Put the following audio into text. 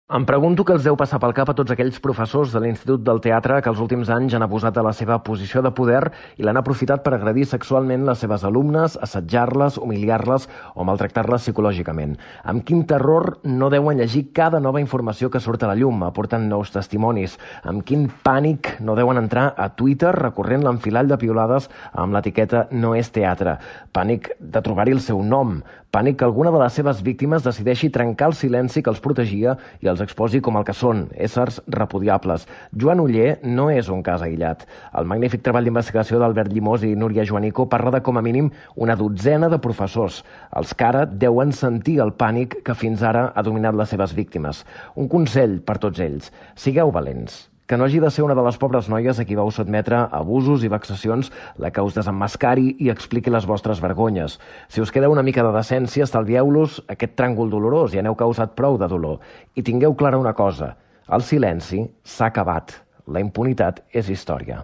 Em pregunto què els deu passar pel cap a tots aquells professors de l'Institut del Teatre que els últims anys han abusat de la seva posició de poder i l'han aprofitat per agredir sexualment les seves alumnes, assetjar-les, humiliar-les o maltractar-les psicològicament. Amb quin terror no deuen llegir cada nova informació que surt a la llum, aportant nous testimonis. Amb quin pànic no deuen entrar a Twitter recorrent l'enfilall de piulades amb l'etiqueta "no és teatre". Pànic de trobar-hi el seu nom. Pànic que alguna de les seves víctimes decideixi trencar el silenci que els protegia i els exposi com el que són, éssers repudiables. Joan Oller no és un cas aïllat. El magnífic treball d'investigació d'Albert Llimós i Núria Joanico parla de com a mínim una dotzena de professors, els que ara deuen sentir el pànic que fins ara ha dominat les seves víctimes. Un consell per tots ells: sigueu valents. Que no hagi de ser una de les pobres noies a qui vau sotmetre a abusos i vexacions la que us desemmascari i expliqui les vostres vergonyes. Si us queda una mica de decència, estalvieu-los aquest tràngol dolorós, ja n'heu causat prou de dolor. I tingueu clara una cosa: el silenci s'ha acabat. La impunitat és història.